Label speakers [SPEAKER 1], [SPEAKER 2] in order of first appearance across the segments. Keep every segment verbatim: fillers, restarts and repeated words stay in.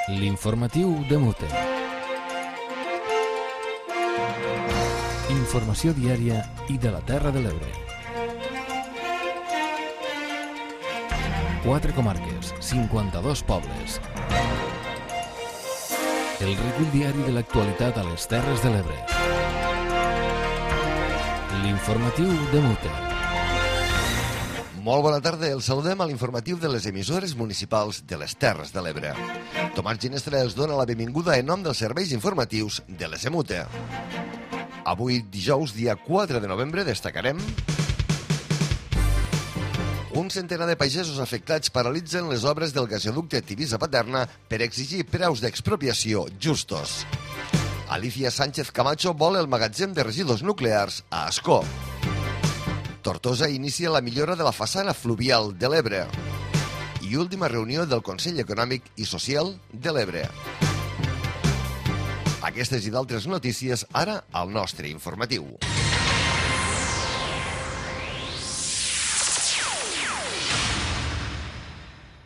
[SPEAKER 1] L'informatiu de Mute. Informació diària i de la Terra de l'Ebre. Quatre comarques, cinquanta-dos pobles. El recull diari de l'actualitat a les Terres de l'Ebre. L'informatiu de Mute.
[SPEAKER 2] Molt bona tarda, els saludem a l'informatiu de les emissores municipals de les Terres de l'Ebre. Tomàs Ginestra els dona la benvinguda en nom dels serveis informatius de l'E S M U T E. Avui, dijous, dia quatre de novembre, destacarem: un centenar de pagesos afectats paralitzen les obres del gasoducte Tivissa-Paterna per exigir preus d'expropiació justos. Alicia Sánchez Camacho vol el magatzem de residus nuclears a Ascó. Tortosa inicia la millora de la façana fluvial de l'Ebre. I última reunió del Consell Econòmic i Social de l'Ebre. Aquestes i d'altres notícies ara al nostre informatiu.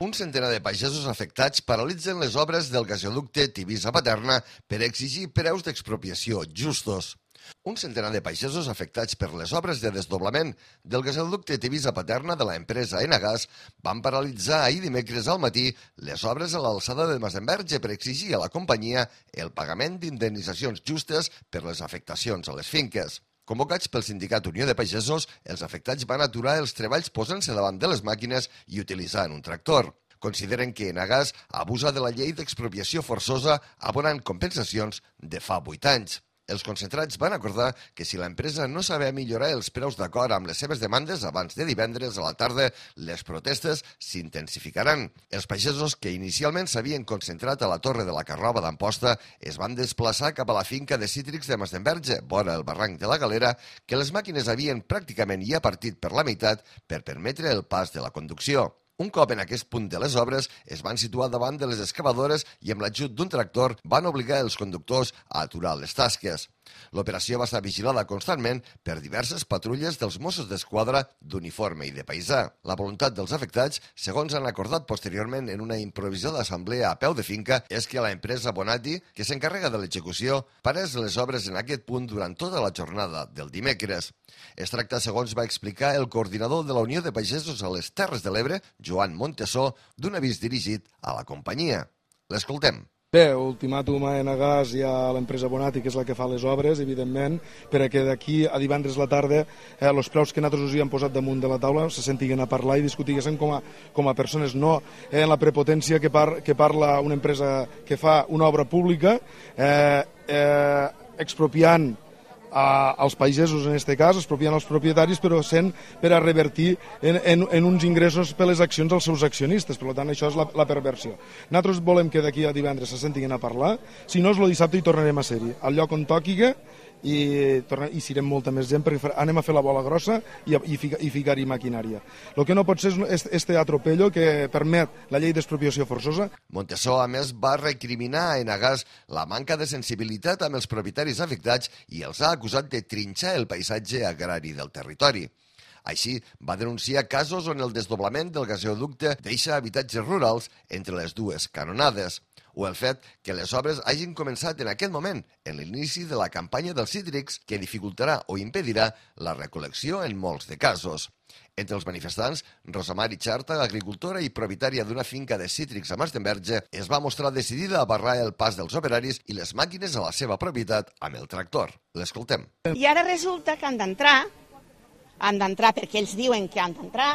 [SPEAKER 2] Un centenar de pagesos afectats paralitzen les obres del gasoducte Tivissa-Paterna per exigir preus d'expropiació justos. Un centenar de pagesos afectats per les obres de desdoblament del gasoducte Tivissa-Paterna de l'empresa Enagas van paralitzar ahir dimecres al matí les obres a l'alçada de Masdenverge per exigir a la companyia el pagament d'indemnitzacions justes per les afectacions a les finques. Convocats pel sindicat Unió de Pagesos, els afectats van aturar els treballs posant-se davant de les màquines i utilitzant un tractor. Consideren que Enagas abusa de la llei d'expropiació forçosa abonant compensacions de fa vuit anys. Els concentrats van acordar que si l'empresa no sabia millorar els preus d'acord amb les seves demandes abans de divendres a la tarda, les protestes s'intensificaran. Els pagesos que inicialment s'havien concentrat a la Torre de la Carrova d'Amposta es van desplaçar cap a la finca de cítrics de Masdenverge, vora el barranc de la Galera, que les màquines havien pràcticament ja partit per la meitat per permetre el pas de la conducció. Un cop en aquest punt de les obres, es van situar davant de les excavadores i amb l'ajut d'un tractor van obligar els conductors a aturar les tasques. L'operació va estar vigilada constantment per diverses patrulles dels Mossos d'Esquadra d'uniforme i de paisà. La voluntat dels afectats, segons han acordat posteriorment en una improvisada assemblea a peu de finca, és que l'empresa Bonati, que s'encarrega de l'execució, parés les obres en aquest punt durant tota la jornada del dimecres. Es tracta, segons va explicar el coordinador de la Unió de Pagesos a les Terres de l'Ebre, Joan Montesó, d'un avís dirigit a la companyia. L'escoltem.
[SPEAKER 3] Bé, ultimàtum a Enagas i a l'empresa Bonati, que és la que fa les obres, evidentment, perquè d'aquí a divendres la tarda eh, els preus que nosaltres us hi hem posat damunt de la taula se sentiguen a parlar i discutiguessin com a, com a persones, no en la prepotència que, par, que parla una empresa que fa una obra pública, eh, eh, expropiant a, als pagesos, en aquest cas, expropiant els propietaris, però sent per a revertir en, en, en uns ingressos per les accions dels seus accionistes. Per tant, això és la, la perversió. Nosaltres volem que d'aquí a divendres se sentin a parlar, si no és el dissabte hi tornarem a ser-hi, al lloc on tòquiga, i, torna, i serem molta més gent perquè anem a fer la bola grossa i, i, fica, i ficar-hi maquinària. El que no pot ser és este atropello que permet la llei d'expropiació forçosa.
[SPEAKER 2] Montesó, a més, va recriminar a Enagas la manca de sensibilitat amb els propietaris afectats i els ha acusat de trinxar el paisatge agrari del territori. Així, va denunciar casos on el desdoblament del gasoducte deixa habitatges rurals entre les dues canonades, o el fet que les obres hagin començat en aquest moment, en l'inici de la campanya dels cítrics, que dificultarà o impedirà la recol·lecció en molts de casos. Entre els manifestants, Rosa Mari Xarta, agricultora i propietària d'una finca de cítrics a Masdenverge, es va mostrar decidida a barrar el pas dels operaris i les màquines a la seva propietat amb el tractor. L'escoltem.
[SPEAKER 4] I ara resulta que han d'entrar, han d'entrar perquè ells diuen que han d'entrar.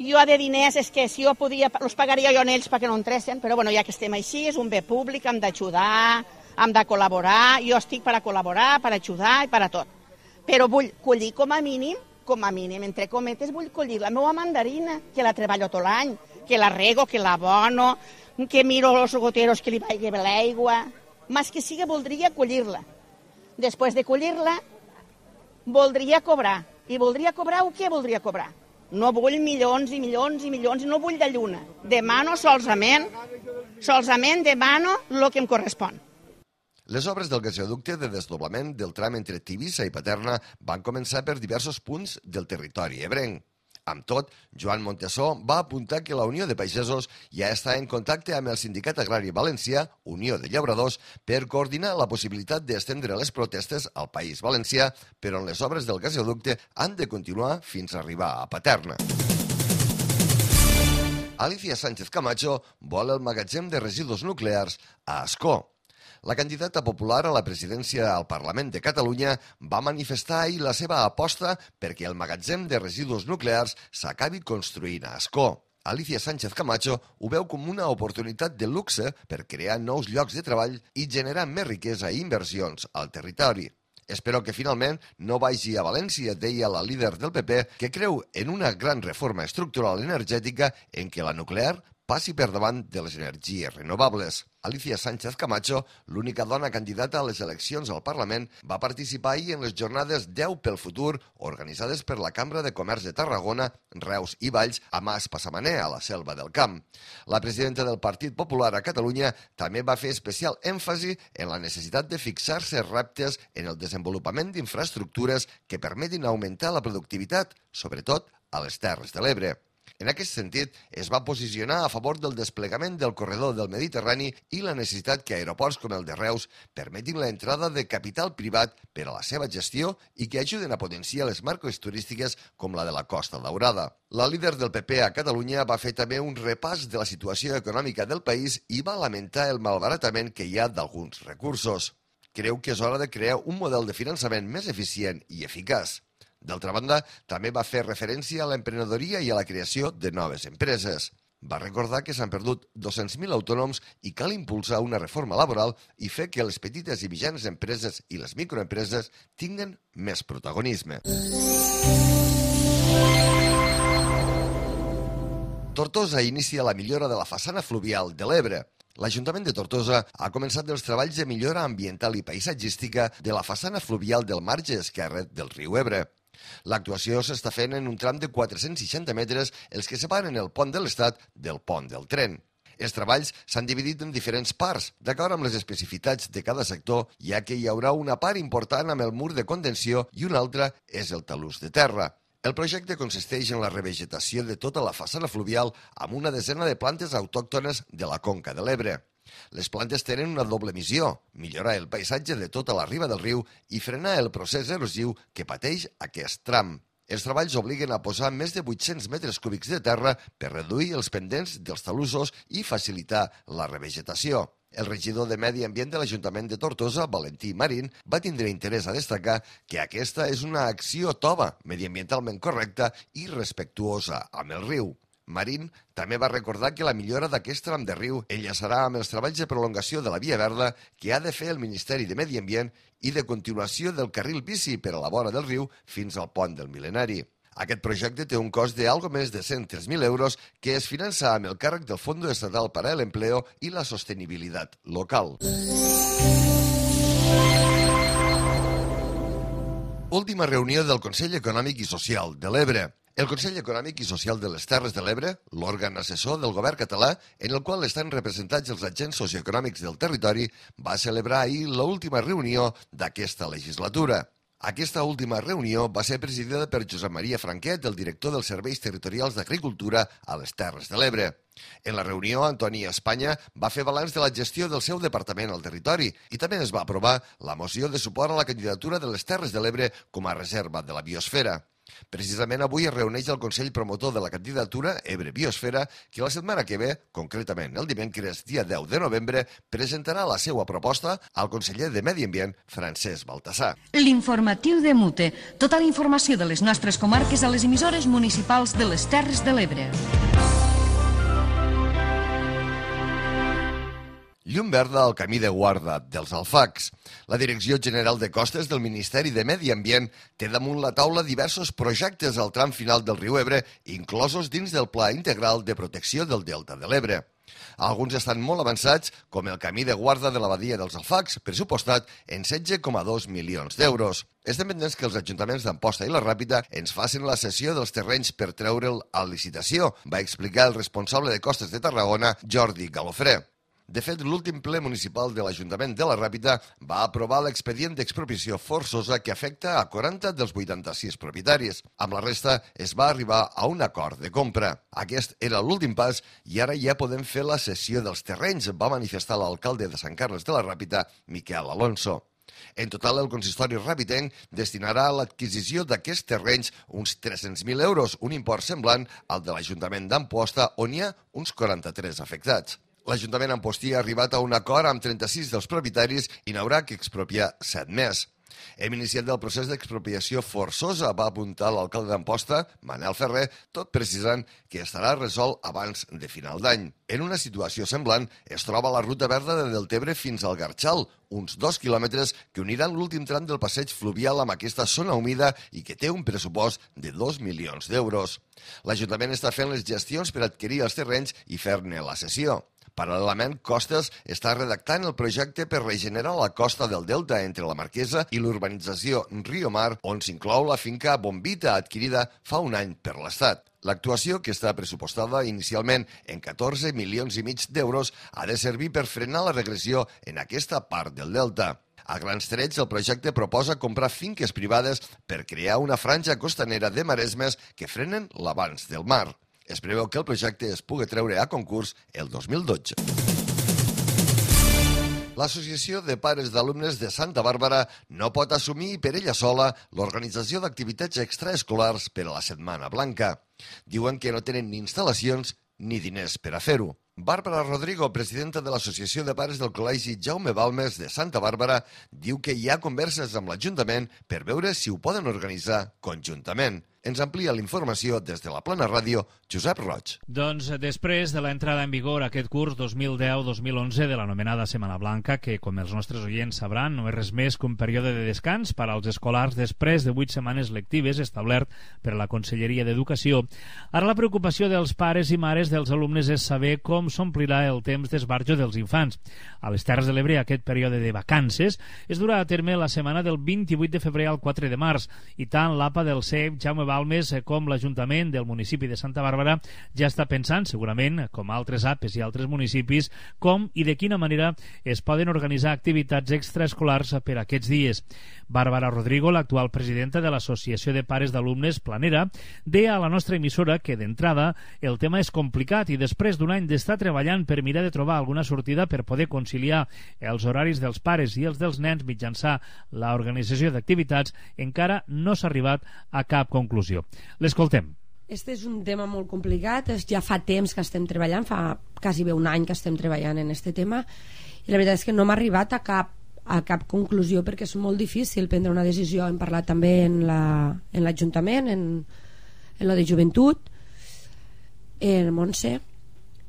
[SPEAKER 4] Jo de diners és que si jo podia, els pagaria jo en ells perquè no entressin, però bueno, ja que estem així, és un bé públic, hem d'ajudar, hem de col·laborar, jo estic per a col·laborar, per a ajudar i per a tot. Però vull collir com a mínim, com a mínim, entre cometes, vull collir la meva mandarina, que la treballo tot l'any, que la rego, que la abono, que miro els goteros que li vagi bé l'aigua. Més que siga, voldria collir-la. Després de collir-la, voldria cobrar. I voldria cobrar o què voldria cobrar? No vull milions i milions i milions, no vull de lluna. Demano solament, solament demano el que em correspon.
[SPEAKER 2] Les obres del gasoducte de desdoblament del tram entre Tivissa i Paterna van començar per diversos punts del territori ebrenc. Amb tot, Joan Montesó va apuntar que la Unió de Pagesos ja està en contacte amb el Sindicat Agrari Valencià, Unió de Llauradors, per coordinar la possibilitat d'estendre les protestes al País Valencià, però on les obres del gasoducte han de continuar fins a arribar a Paterna. Alicia Sánchez Camacho vol el magatzem de residus nuclears a Ascó. La candidata popular a la presidència al Parlament de Catalunya va manifestar ahir la seva aposta perquè el magatzem de residus nuclears s'acabi construint a Ascó. Alicia Sánchez Camacho ho veu com una oportunitat de luxe per crear nous llocs de treball i generar més riquesa i inversions al territori. Espero que finalment no vagi a València, deia la líder del P P, que creu en una gran reforma estructural energètica en què la nuclear passi per davant de les energies renovables. Alicia Sánchez Camacho, l'única dona candidata a les eleccions al Parlament, va participar ahir en les jornades deu pel futur organitzades per la Cambra de Comerç de Tarragona, Reus i Valls a Mas Passamanè, a la Selva del Camp. La presidenta del Partit Popular a Catalunya també va fer especial èmfasi en la necessitat de fixar-se reptes en el desenvolupament d'infraestructures que permetin augmentar la productivitat, sobretot a les Terres de l'Ebre. En aquest sentit, es va posicionar a favor del desplegament del corredor del Mediterrani i la necessitat que aeroports com el de Reus permetin l'entrada de capital privat per a la seva gestió i que ajuden a potenciar les marques turístiques com la de la Costa Daurada. La líder del P P a Catalunya va fer també un repàs de la situació econòmica del país i va lamentar el malbaratament que hi ha d'alguns recursos. Creu que és hora de crear un model de finançament més eficient i eficaç. D'altra banda, també va fer referència a l'emprenedoria i a la creació de noves empreses. Va recordar que s'han perdut dos-cents mil autònoms i cal impulsar una reforma laboral i fer que les petites i mitjanes empreses i les microempreses tinguen més protagonisme. Tortosa inicia la millora de la façana fluvial de l'Ebre. L'Ajuntament de Tortosa ha començat els treballs de millora ambiental i paisatgística de la façana fluvial del marge esquerre del riu Ebre. L'actuació s'està fent en un tram de quatre-cents seixanta metres, els que separen el pont de l'Estat del pont del tren. Els treballs s'han dividit en diferents parts, d'acord amb les especificitats de cada sector, ja que hi haurà una part important amb el mur de contenció i una altra és el talús de terra. El projecte consisteix en la revegetació de tota la façana fluvial amb una desena de plantes autòctones de la conca de l'Ebre. Les plantes tenen una doble missió, millorar el paisatge de tota la riba del riu i frenar el procés erosiu que pateix aquest tram. Els treballs obliguen a posar més de vuit-cents metres cúbics de terra per reduir els pendents dels talussos i facilitar la revegetació. El regidor de Medi Ambient de l'Ajuntament de Tortosa, Valentí Marín, va tindre interès a destacar que aquesta és una acció tova, mediambientalment correcta i respectuosa amb el riu. Marín també va recordar que la millora d'aquest tram de riu enllaçarà amb els treballs de prolongació de la Via Verda que ha de fer el Ministeri de Medi Ambient i de continuació del carril bici per a la vora del riu fins al pont del Mil·lenari. Aquest projecte té un cost de algo més de cent tres mil euros que es finança amb el càrrec del Fondo Estatal para el Empleo i la Sostenibilitat Local. Última reunió del Consell Econòmic i Social de l'Ebre. El Consell Econòmic i Social de les Terres de l'Ebre, l'òrgan assessor del govern català, en el qual estan representats els agents socioeconòmics del territori, va celebrar ahir l'última reunió d'aquesta legislatura. Aquesta última reunió va ser presidida per Josep Maria Franquet, el director dels Serveis Territorials d'Agricultura a les Terres de l'Ebre. En la reunió, Antoni Espanya va fer balanç de la gestió del seu departament al territori i també es va aprovar la moció de suport a la candidatura de les Terres de l'Ebre com a reserva de la biosfera. Precisament avui es reuneix el Consell Promotor de la candidatura Ebre Biosfera, que la setmana que ve, concretament el dimecres dia deu de novembre, presentarà la seva proposta al conseller de Medi Ambient, Francesc Baltasar.
[SPEAKER 5] L'informatiu de Mute. Tota la informació de les nostres comarques a les emissores municipals de les Terres de l'Ebre.
[SPEAKER 2] Llum verda al camí de guarda dels Alfacs. La Direcció General de Costes del Ministeri de Medi Ambient té damunt la taula diversos projectes al tram final del riu Ebre, inclosos dins del Pla Integral de Protecció del Delta de l'Ebre. Alguns estan molt avançats, com el camí de guarda de la badia dels Alfacs, pressupostat en setze coma dos milions d'euros. Estem pendents que els ajuntaments d'Amposta i la Ràpita ens facin la cessió dels terrenys per treure'l a licitació, va explicar el responsable de Costes de Tarragona, Jordi Galofré. De fet, l'últim ple municipal de l'Ajuntament de la Ràpita va aprovar l'expedient d'expropiació forçosa que afecta a quaranta dels vuitanta-sis propietaris. Amb la resta es va arribar a un acord de compra. Aquest era l'últim pas i ara ja podem fer la cessió dels terrenys, va manifestar l'alcalde de Sant Carles de la Ràpita, Miquel Alonso. En total, el consistori ràpitenc destinarà a l'adquisició d'aquests terrenys uns tres-cents mil euros, un import semblant al de l'Ajuntament d'Amposta, on hi ha uns quaranta-tres afectats. L'Ajuntament Ampostí ha arribat a un acord amb trenta-sis dels propietaris i n'haurà que expropiar set més. Hem iniciat el procés d'expropiació forçosa, va apuntar l'alcalde d'Amposta, Manel Ferrer, tot precisant que estarà resolt abans de final d'any. En una situació semblant es troba la ruta verda de Deltebre fins al Garxal, uns dos quilòmetres que uniran l'últim tram del passeig fluvial amb aquesta zona humida i que té un pressupost de dos milions d'euros. L'Ajuntament està fent les gestions per adquirir els terrenys i fer-ne la cessió. Paral·lelament, Costes està redactant el projecte per regenerar la costa del Delta entre la Marquesa i l'urbanització Rio Mar, on s'inclou la finca Bombita, adquirida fa un any per l'Estat. L'actuació, que està pressupostada inicialment en catorze milions i mig d'euros, ha de servir per frenar la regressió en aquesta part del Delta. A grans trets, el projecte proposa comprar finques privades per crear una franja costanera de maresmes que frenen l'avanç del mar. Es preveu que el projecte es pugui treure a concurs el dos mil dotze. L'Associació de Pares d'Alumnes de Santa Bàrbara no pot assumir per ella sola l'organització d'activitats extraescolars per a la Setmana Blanca. Diuen que no tenen ni instal·lacions ni diners per a fer-ho. Bàrbara Rodrigo, presidenta de l'Associació de Pares del Col·legi Jaume Balmes de Santa Bàrbara, diu que hi ha converses amb l'Ajuntament per veure si ho poden organitzar conjuntament. Ens amplia la informació des de la Plana Ràdio, Josep Roig.
[SPEAKER 6] Doncs després de l'entrada en vigor aquest curs dos mil deu dos mil onze de l'anomenada Setmana Blanca, que, com els nostres oients sabran, no és res més que un període de descans per als escolars després de vuit setmanes lectives establert per la Conselleria d'Educació, ara la preocupació dels pares i mares dels alumnes és saber com s'omplirà el temps d'esbarjo dels infants. A les Terres de l'Ebre aquest període de vacances es durà a terme la setmana del vint-i-vuit de febrer al quatre de març i tant l'A P A del C E P Jaume Balmes com l'Ajuntament del municipi de Santa Bàrbara ja està pensant, segurament, com altres A P Es i altres municipis, com i de quina manera es poden organitzar activitats extraescolars per aquests dies. Bàrbara Rodrigo, l'actual presidenta de l'Associació de Pares d'Alumnes Planera, deia a la nostra emissora que d'entrada el tema és complicat i després d'un any d'estar treballant per mirar de trobar alguna sortida per poder conciliar els horaris dels pares i els dels nens mitjançant l'organització d'activitats, encara no s'ha arribat a cap conclusió. L'escoltem.
[SPEAKER 7] Este és un tema molt complicat, ja fa temps que estem treballant, fa quasi bé un any que estem treballant en este tema i la veritat és que no m'ha arribat a cap, a cap conclusió perquè és molt difícil prendre una decisió. Hem parlat també en l'Ajuntament, la, en, en la de Joventut, en Montse,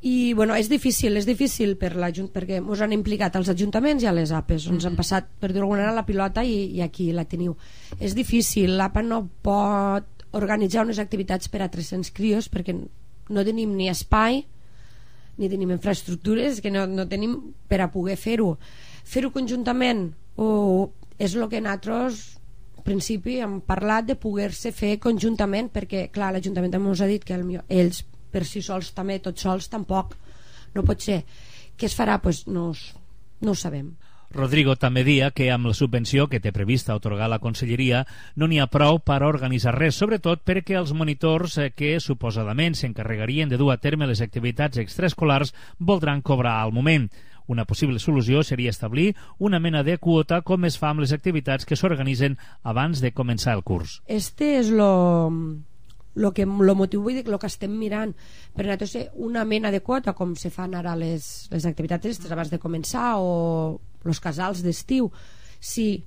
[SPEAKER 7] i bueno, és difícil, és difícil per perquè ens han implicat els ajuntaments i a les A P Es, ens han passat per dir-ho alguna manera la pilota i, i aquí la teniu. És difícil, l'A P A no pot organitzar unes activitats per a tres-cents crios perquè no tenim ni espai ni tenim infraestructures, que no, no tenim per a poder fer-ho. Fer-ho conjuntament o és el que nosaltres al principi hem parlat de poder-se fer conjuntament, perquè clar, l'Ajuntament també ens ha dit que el, ells per si sols també, tots sols tampoc no pot ser. Què es farà? Pues no, no ho sabem.
[SPEAKER 6] Rodrigo també dia que amb la subvenció que té prevista atorgar la Conselleria no n'hi ha prou per a organitzar res, sobretot perquè els monitors que suposadament s'encarregarien de dur a terme les activitats extraescolars voldran cobrar al moment. Una possible solució seria establir una mena de quota com es fa amb les activitats que s'organitzen abans de començar el curs.
[SPEAKER 7] Este és lo... lo que lo motiu vull dir, lo que estem mirant per nosaltres una mena de quota com se fan ara les, les activitats abans de començar o els casals d'estiu, sí,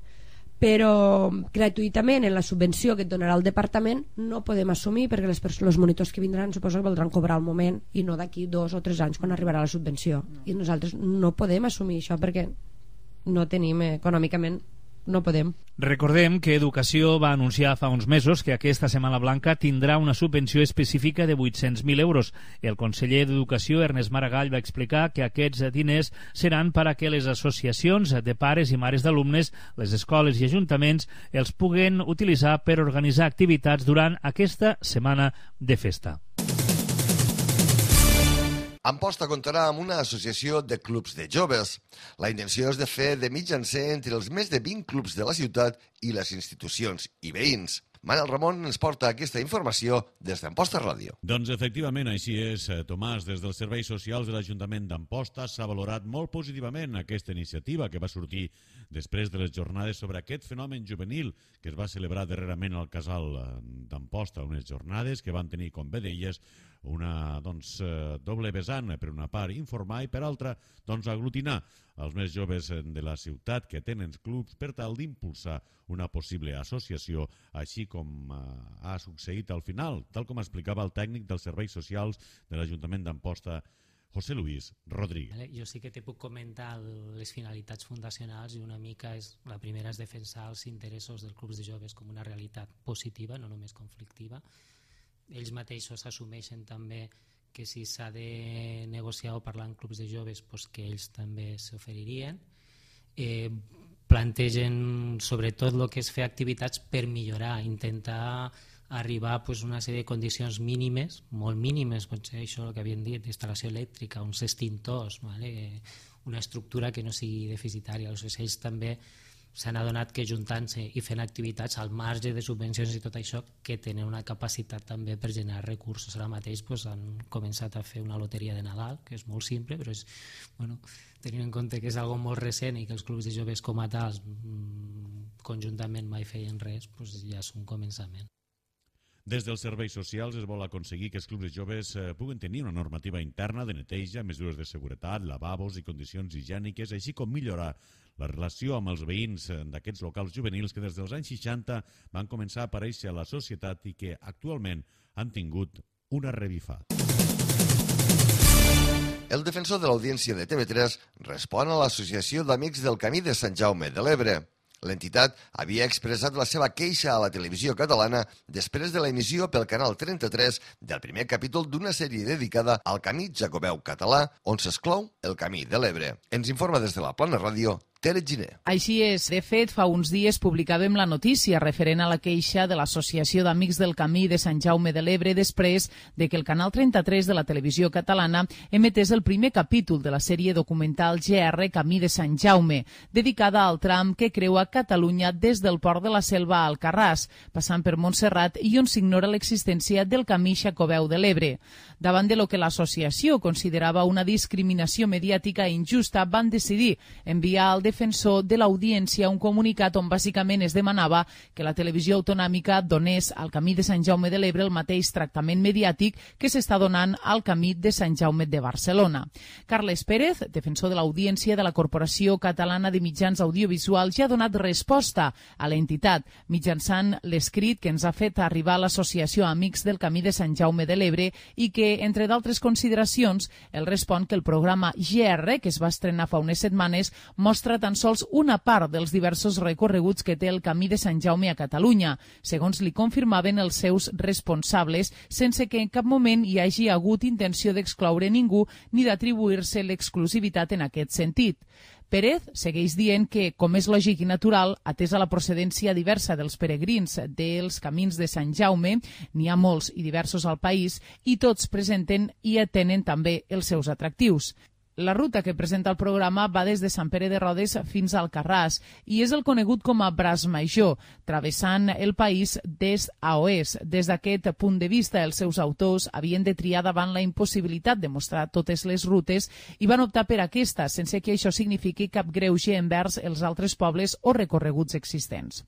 [SPEAKER 7] però gratuïtament en la subvenció que et donarà el departament no podem assumir perquè les els monitors que vindran suposo que voldran cobrar al moment i no d'aquí dos o tres anys quan arribarà la subvenció, i nosaltres no podem assumir això perquè no tenim econòmicament, no podem.
[SPEAKER 6] Recordem que Educació va anunciar fa uns mesos que aquesta Setmana Blanca tindrà una subvenció específica de vuit-cents mil euros. El conseller d'Educació, Ernest Maragall, va explicar que aquests diners seran per a que les associacions de pares i mares d'alumnes, les escoles i ajuntaments els puguen utilitzar per organitzar activitats durant aquesta setmana de festa.
[SPEAKER 2] Amposta comptarà amb una associació de clubs de joves. La intenció és de fer de mitjancer entre els més de vint clubs de la ciutat i les institucions i veïns. Manel Ramon ens porta aquesta informació des d'Amposta Ràdio.
[SPEAKER 8] Doncs efectivament així és, Tomàs. Des dels serveis socials de l'Ajuntament d'Amposta s'ha valorat molt positivament aquesta iniciativa que va sortir després de les jornades sobre aquest fenomen juvenil que es va celebrar darrerament al casal d'Amposta, unes jornades que van tenir, com bé deies, una doncs, doble vessant, per una part informar i per altra doncs, aglutinar els més joves de la ciutat que tenen clubs per tal d'impulsar una possible associació, així com ha succeït al final, tal com explicava el tècnic dels serveis socials de l'Ajuntament d'Amposta, José Luis Rodríguez.
[SPEAKER 9] Jo sí que te puc comentar les finalitats fundacionals i una mica és, la primera és defensar els interessos dels clubs de joves com una realitat positiva, no només conflictiva. Ells mateixos assumeixen també que si s'ha de negociar o parlar amb clubs de joves, doncs que ells també s'oferirien. Eh, plantegen sobretot el que és fer activitats per millorar, intentar arribar a una sèrie de condicions mínimes, molt mínimes, pot ser això el que havien dit, instal·lació elèctrica, uns extintors, vale? Una estructura que no sigui deficitària. Aleshores, ells també s'han adonat que juntant-se i fent activitats al marge de subvencions i tot això, que tenen una capacitat també per generar recursos. Ara mateix doncs, han començat a fer una loteria de Nadal, que és molt simple, però és, bueno, tenint en compte que és algo molt recent i que els clubs de joves com a tals conjuntament mai feien res, doncs ja és un començament.
[SPEAKER 8] Des dels serveis socials es vol aconseguir que els clubs de joves puguen tenir una normativa interna de neteja, mesures de seguretat, lavabos i condicions higièniques, així com millorar la relació amb els veïns d'aquests locals juvenils que des dels anys seixanta van començar a aparèixer a la societat i que actualment han tingut una revifada.
[SPEAKER 2] El defensor de l'Audiència de T V tres respon a l'Associació d'Amics del Camí de Sant Jaume de l'Ebre. L'entitat havia expressat la seva queixa a la televisió catalana després de l'emissió pel Canal trenta-tres del primer capítol d'una sèrie dedicada al camí jacobeu català, on s'exclou el Camí de l'Ebre. Ens informa des de la Plana Ràdio, Tere Giner.
[SPEAKER 10] Així és. De fet, fa uns dies publicàvem la notícia referent a la queixa de l'Associació d'Amics del Camí de Sant Jaume de l'Ebre després de que el Canal trenta-tres de la televisió catalana emetés el primer capítol de la sèrie documental G R Camí de Sant Jaume, dedicada al tram que creua Catalunya des del port de la Selva a Alcarràs, passant per Montserrat i on s'ignora l'existència del Camí Jacobeu de l'Ebre. Davant de lo que l'associació considerava una discriminació mediàtica injusta, van decidir enviar al defensor de l'Audiència un comunicat on bàsicament es demanava que la televisió autonòmica donés al Camí de Sant Jaume de l'Ebre el mateix tractament mediàtic que s'està donant al Camí de Sant Jaume de Barcelona. Carles Pérez, defensor de l'Audiència de la Corporació Catalana de Mitjans Audiovisuals, ja ha donat resposta a l'entitat mitjançant l'escrit que ens ha fet arribar l'Associació Amics del Camí de Sant Jaume de l'Ebre i que, entre d'altres consideracions, el respon que el programa G R, que es va estrenar fa unes setmanes, mostra tan sols una part dels diversos recorreguts que té el Camí de Sant Jaume a Catalunya, segons li confirmaven els seus responsables, sense que en cap moment hi hagi hagut intenció d'excloure ningú ni d'atribuir-se l'exclusivitat en aquest sentit. Pérez segueix dient que, com és lògic i natural, atesa la procedència diversa dels peregrins dels camins de Sant Jaume, n'hi ha molts i diversos al país, i tots presenten i atenen també els seus atractius. La ruta que presenta el programa va des de Sant Pere de Rodes fins a Alcarràs i és el conegut com a Braç Major, travessant el país d'est a oest. Des d'aquest punt de vista, els seus autors havien de triar davant la impossibilitat de mostrar totes les rutes i van optar per aquesta, sense que això signifiqui cap greuge envers els altres pobles o recorreguts existents.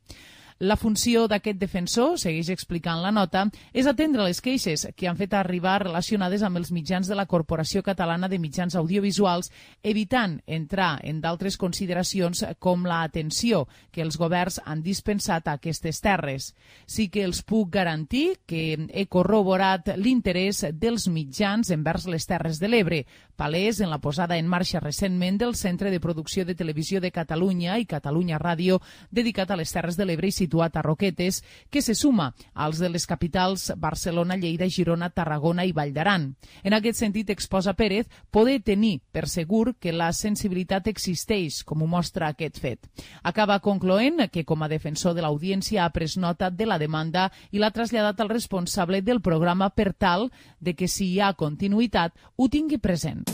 [SPEAKER 10] La funció d'aquest defensor, segueix explicant la nota, és atendre les queixes que han fet arribar relacionades amb els mitjans de la Corporació Catalana de Mitjans Audiovisuals, evitant entrar en d'altres consideracions com la atenció que els governs han dispensat a aquestes terres. Sí que els puc garantir que he corroborat l'interès dels mitjans envers les Terres de l'Ebre, palès en la posada en marxa recentment del Centre de Producció de Televisió de Catalunya i Catalunya Ràdio, dedicat a les Terres de l'Ebre i situat a Roquetes, que se suma als de les capitals Barcelona, Lleida, Girona, Tarragona i Vall d'Aran. En aquest sentit, exposa Pérez poder tenir per segur que la sensibilitat existeix, com ho mostra aquest fet. Acaba concloent que, com a defensor de l'audiència, ha pres nota de la demanda i l'ha traslladat al responsable del programa per tal de que, si hi ha continuïtat, ho tingui present.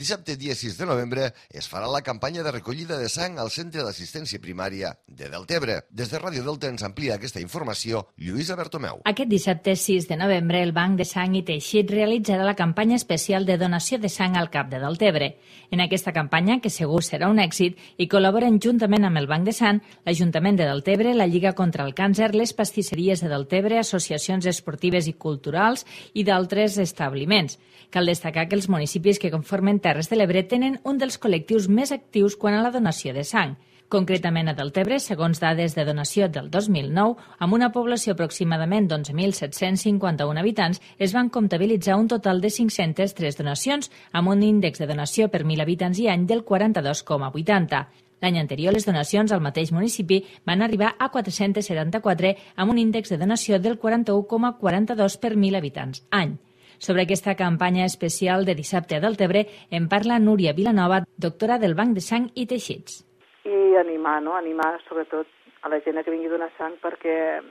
[SPEAKER 2] Dissabte, dia sis de novembre, es farà la campanya de recollida de sang al Centre d'Assistència Primària de Deltebre. Des de Ràdio Delta ens amplia aquesta informació Lluïsa Bertomeu.
[SPEAKER 11] Aquest dissabte sis de novembre, el Banc de Sang i Teixit realitzarà la campanya especial de donació de sang al Cap de Deltebre. En aquesta campanya, que segur serà un èxit, hi col·laboren juntament amb el Banc de Sang, l'Ajuntament de Deltebre, la Lliga contra el Càncer, les pastisseries de Deltebre, associacions esportives i culturals i d'altres establiments. Cal destacar que els municipis que conformen Terres de l'Ebre tenen un dels col·lectius més actius quant a la donació de sang. Concretament a Deltebre, segons dades de donació del dos mil nou, amb una població aproximadament d'onze mil set-cents cinquanta-un habitants, es van comptabilitzar un total de cinc-centes tres donacions, amb un índex de donació per mil habitants i any del quaranta-dos coma vuitanta. L'any anterior, les donacions al mateix municipi van arribar a quatre-cents setanta-quatre, amb un índex de donació del quaranta-u coma quaranta-dos per mil habitants any. Sobre aquesta campanya especial de dissabte a Deltebre en parla Núria Vilanova, doctora del Banc de Sang i Teixits.
[SPEAKER 12] I animar, no? Animar sobretot a la gent que vingui a donar sang, perquè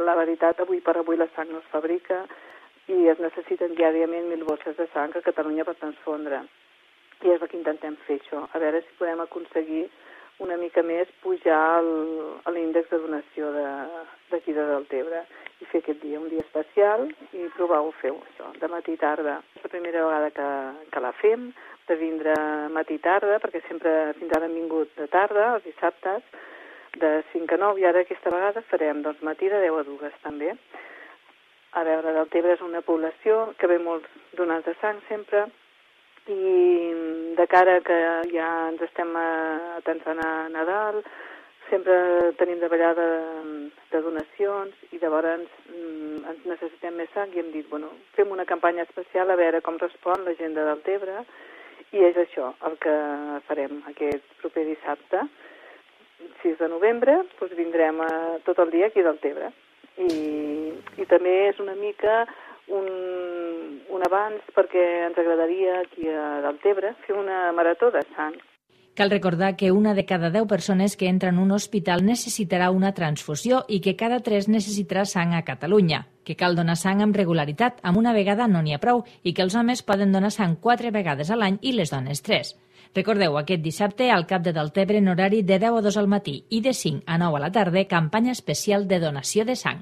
[SPEAKER 12] la veritat, avui per avui la sang no es fabrica i es necessiten diàriament mil bosses de sang a Catalunya per transfondre. I és el que intentem fer, això. A veure si podem aconseguir una mica més pujar l'índex de donació d'aquí de Deltebre i fer aquest dia un dia especial i provar-ho fer això, de matí i tarda. És la primera vegada que, que la fem, de vindre matí i tarda, perquè sempre fins ara hem vingut de tarda, els dissabtes, de cinc a nou, i ara aquesta vegada farem doncs, matí de deu a dues també. A veure, Deltebre és una població que ve molts donants de sang sempre, i de cara que ja ens estem atençant a Nadal, sempre tenim de ballar de, de donacions i llavors mm, ens necessitem més sang i hem dit, bueno, fem una campanya especial a veure com respon la gent de Deltebre i és això el que farem aquest proper dissabte, sis de novembre, doncs vindrem a, tot el dia aquí a Deltebre i, i també és una mica un, un avanç perquè ens agradaria aquí a Deltebre fer una marató de sang.
[SPEAKER 11] Cal recordar que una de cada deu persones que entra en un hospital necessitarà una transfusió i que cada tres necessitarà sang a Catalunya, que cal donar sang amb regularitat, amb una vegada no n'hi ha prou, i que els homes poden donar sang quatre vegades a l'any i les dones tres. Recordeu, aquest dissabte al Cap de Deltebre en horari de deu a dos al matí i de cinc a nou a la tarda, campanya especial de donació de sang.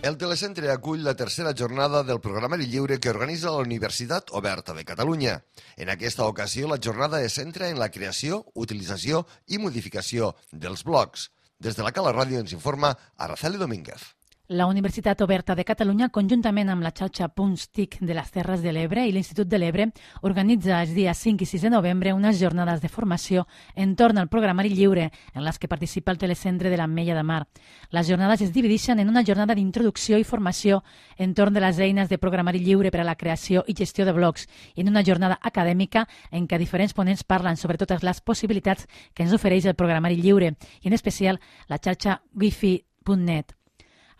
[SPEAKER 2] El telecentre acull la tercera jornada del programari lliure que organitza la Universitat Oberta de Catalunya. En aquesta ocasió, la jornada es centra en la creació, utilització i modificació dels blogs. Des de la Cala Ràdio ens informa Araceli Domínguez.
[SPEAKER 13] La Universitat Oberta de Catalunya, conjuntament amb la xarxa Punts T I C de les Terres de l'Ebre i l'Institut de l'Ebre, organitza els dies cinc i sis de novembre unes jornades de formació entorn al programari lliure, en les que participa el telecentre de l'Ametlla de Mar. Les jornades es divideixen en una jornada d'introducció i formació entorn de les eines de programari lliure per a la creació i gestió de blogs i en una jornada acadèmica en què diferents ponents parlen sobre totes les possibilitats que ens ofereix el programari lliure i en especial la xarxa wifi punt net.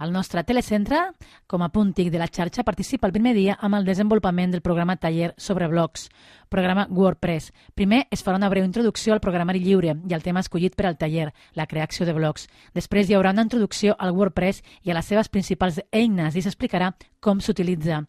[SPEAKER 13] El nostre telecentre, com a punt T I C de la xarxa, participa el primer dia amb el desenvolupament del programa Taller sobre blogs, programa WordPress. Primer es farà una breu introducció al programari lliure i al tema escollit per al taller, la creació de blogs. Després hi haurà una introducció al WordPress i a les seves principals eines i s'explicarà com s'utilitza.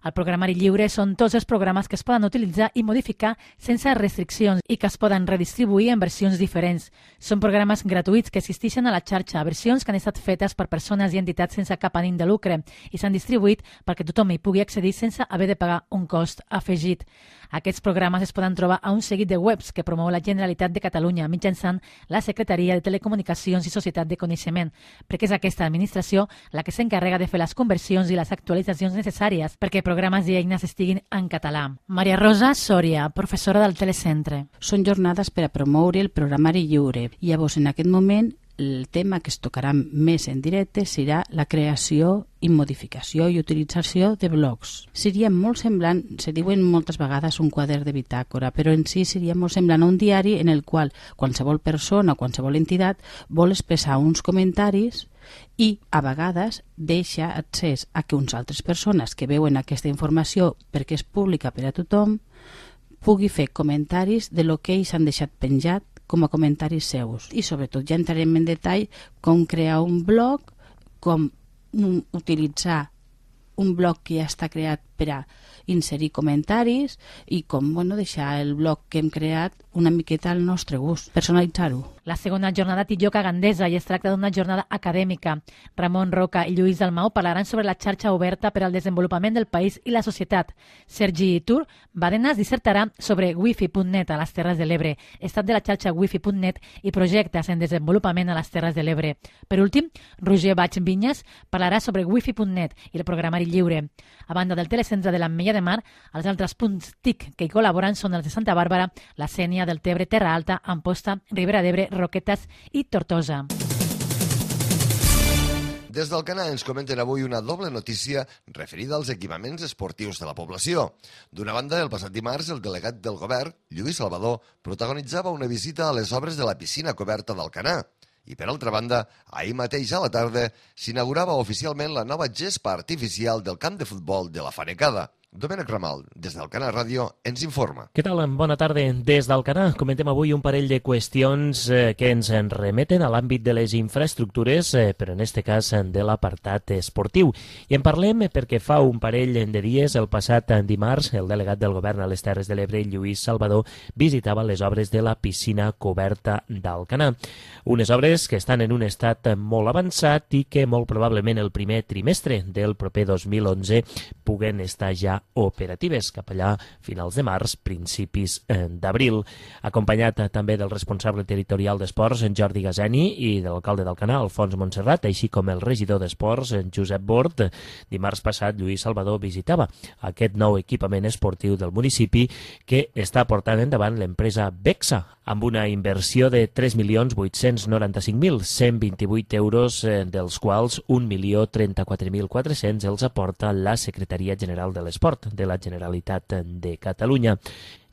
[SPEAKER 13] El programari lliure són tots els programes que es poden utilitzar i modificar sense restriccions i que es poden redistribuir en versions diferents. Són programes gratuïts que existeixen a la xarxa, versions que han estat fetes per persones i entitats sense cap ànim de lucre i s'han distribuït perquè tothom hi pugui accedir sense haver de pagar un cost afegit. Aquests programes es poden trobar a un seguit de webs que promou la Generalitat de Catalunya mitjançant la Secretaria de Telecomunicacions i Societat de Coneixement, perquè és aquesta administració la que s'encarrega de fer les conversions i les actualitzacions necessàries perquè programes i eines estiguin en català. Maria Rosa Sòria, professora del telecentre.
[SPEAKER 14] Són jornades per a promoure el programari lliure. Llavors, en aquest moment, el tema que es tocarà més en directe serà la creació i modificació i utilització de blogs. Seria molt semblant, se diuen moltes vegades un quadern de bitàcora, però en si seria molt semblant a un diari en el qual qualsevol persona o qualsevol entitat vol expressar uns comentaris i a vegades deixa accés a que uns altres persones que veuen aquesta informació perquè és pública per a tothom pugui fer comentaris de lo que ells han deixat penjat com a comentaris seus. I sobretot ja entrarem en detall com crear un blog, com utilitzar un blog que ja està creat per a inserir comentaris i com bueno, deixar el blog que hem creat una miqueta al nostre gust, personalitzar-ho.
[SPEAKER 13] La segona jornada té lloc a Gandesa i es tracta d'una jornada acadèmica. Ramon Roca i Lluís Dalmau parlaran sobre la xarxa oberta per al desenvolupament del país i la societat. Sergi Tur Badenas dissertarà sobre wifi punt net a les Terres de l'Ebre, estat de la xarxa wifi punt net i projectes en desenvolupament a les Terres de l'Ebre. Per últim, Roger Baig Vinyes parlarà sobre wifi punt net i el programari lliure. A banda del telecentre de l'Ametlla de Mar, els altres punts T I C que hi col·laboren són els de Santa Bàrbara, la Sénia, del Tebre, Terra Alta, Amposta, Ribera d'Ebre, Roquetes i Tortosa.
[SPEAKER 2] Des d'Alcanar ens comenten avui una doble notícia referida als equipaments esportius de la població. D'una banda, el passat dimarts, el delegat del govern, Lluís Salvador, protagonitzava una visita a les obres de la piscina coberta d'Alcanar. I, per altra banda, ahir mateix a la tarda s'inaugurava oficialment la nova gespa artificial del camp de futbol de la Fanecada. Domènec Ramal, des d'Alcanar Ràdio, ens informa.
[SPEAKER 15] Què tal? Bona tarda. Des d'Alcanar comentem avui un parell de qüestions eh, que ens en remeten a l'àmbit de les infraestructures, eh, però en este cas de l'apartat esportiu. I en parlem perquè fa un parell de dies, el passat dimarts, el delegat del govern a les Terres de l'Ebre, Lluís Salvador, visitava les obres de la piscina coberta d'Alcanar. Unes obres que estan en un estat molt avançat i que molt probablement el primer trimestre del proper dos mil onze puguen estar ja operatives cap allà finals de març, principis eh, d'abril. Acompanyat eh, també del responsable territorial d'Esports, en Jordi Gazeni, i de l'alcalde d'Alcanar, Alfons Montserrat, així com el regidor d'Esports, en Josep Bort. Dimarts passat, Lluís Salvador visitava aquest nou equipament esportiu del municipi que està portant endavant l'empresa Bexa, amb una inversió de tres milions vuit-cents noranta-cinc mil cent vint-i-vuit euros, eh, dels quals un milió trenta-quatre mil quatre-cents els aporta la Secretaria General de l'Esport de la Generalitat de Catalunya.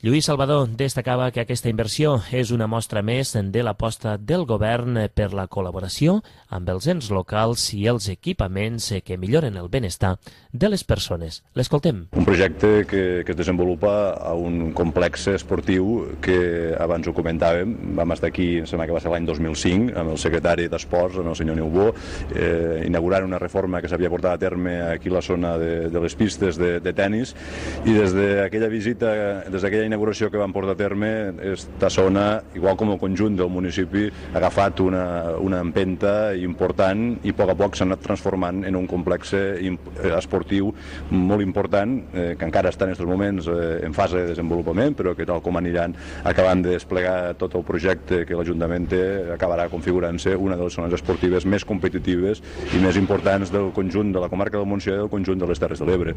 [SPEAKER 15] Lluís Salvador destacava que aquesta inversió és una mostra més de l'aposta del govern per la col·laboració amb els ens locals i els equipaments que milloren el benestar de les persones. L'escoltem.
[SPEAKER 16] Un projecte que, que es desenvolupa a un complex esportiu que abans ho comentàvem, vam estar aquí, em sembla que va ser l'any dos mil cinc, amb el secretari d'Esports, amb el senyor Neubó, eh, inaugurant una reforma que s'havia portat a terme aquí a la zona de, de les pistes de, de tennis, i des d'aquella visita, des d'aquella inauguració que vam portar a terme, esta zona, igual com el conjunt del municipi, ha agafat una, una empenta important i a poc a poc s'ha anat transformant en un complex esportiu molt important, eh, que encara està en aquests moments eh, en fase de desenvolupament, però que tal com aniran acabant de desplegar tot el projecte que l'Ajuntament té, acabarà configurant-se una de les zones esportives més competitives i més importants del conjunt de la comarca del Montsià i del conjunt de les Terres de l'Ebre.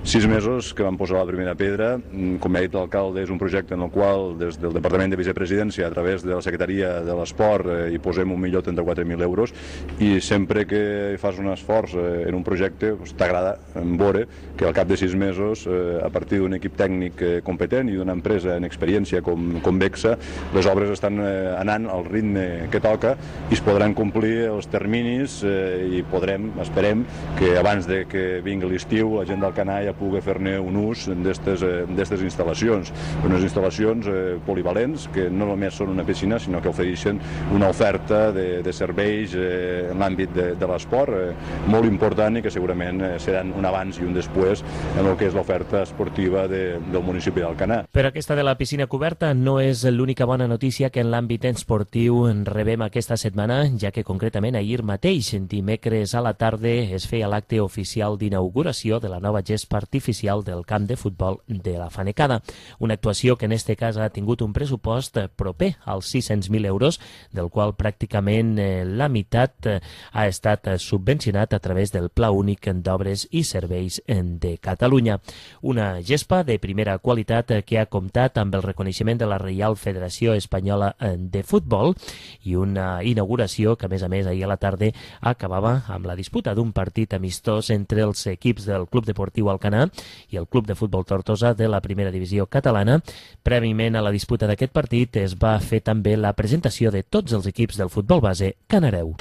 [SPEAKER 16] Sis mesos que vam posar la primera pedra, com ha dit l'alcalde, és un projecte en el qual des del Departament de Vicepresidència, a través de la Secretaria de l'Esport, eh, hi posem un milió trenta-quatre mil euros, i sempre que fas un esforç eh, en un projecte pues, t'agrada veure que al cap de sis mesos, eh, a partir d'un equip tècnic eh, competent i d'una empresa en experiència com, com Bexa, les obres estan eh, anant al ritme que toca i es podran complir els terminis eh, i podrem, esperem, que abans de que vingui l'estiu la gent d'Alcanar ja pugui fer-ne un ús d'aquestes eh, instal·lacions. Unes instal·lacions eh, polivalents que no només són una piscina, sinó que ofereixen una oferta de, de serveis eh, en l'àmbit de, de l'esport eh, molt important i que segurament eh, seran un abans i un després en el que és l'oferta esportiva de, del municipi d'Alcanar.
[SPEAKER 15] Però aquesta de la piscina coberta no és l'única bona notícia que en l'àmbit esportiu rebem aquesta setmana, ja que concretament ahir mateix, dimecres a la tarda, es feia l'acte oficial d'inauguració de la nova gespa artificial del camp de futbol de la Fanecada. Una una actuació que en este cas ha tingut un pressupost proper als sis-cents mil euros, del qual pràcticament eh, la meitat eh, ha estat subvencionat a través del Pla Únic d'Obres i Serveis de Catalunya. Una gespa de primera qualitat que ha comptat amb el reconeixement de la Reial Federació Espanyola de Futbol i una inauguració que, a més a més, ahir a la tarda acabava amb la disputa d'un partit amistós entre els equips del Club Deportiu Alcanar i el Club de Futbol Tortosa de la primera divisió catalana. Prèviament a la disputa d'aquest partit es va fer també la presentació de tots els equips del futbol base canareu.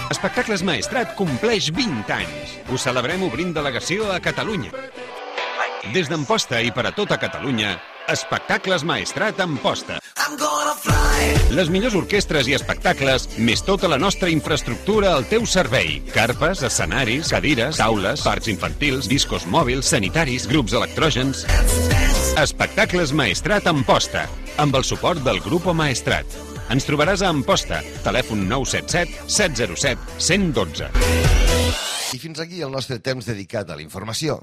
[SPEAKER 17] Espectacles Maestrat compleix vint anys. Ho celebrem obrint delegació a Catalunya. Des d'Amposta i per a tota Catalunya, Espectacles Maestrat Amposta. Les millors orquestres i espectacles, més tota la nostra infraestructura al teu servei. Carpes, escenaris, cadires, taules, parcs infantils, discos mòbils, sanitaris, grups electrògens. Espectacles Maestrat Amposta, amb el suport del Grupo Maestrat. Ens trobaràs a Amposta, telèfon nou set set set zero set un zero un dos.
[SPEAKER 2] I fins aquí el nostre temps dedicat a la informació.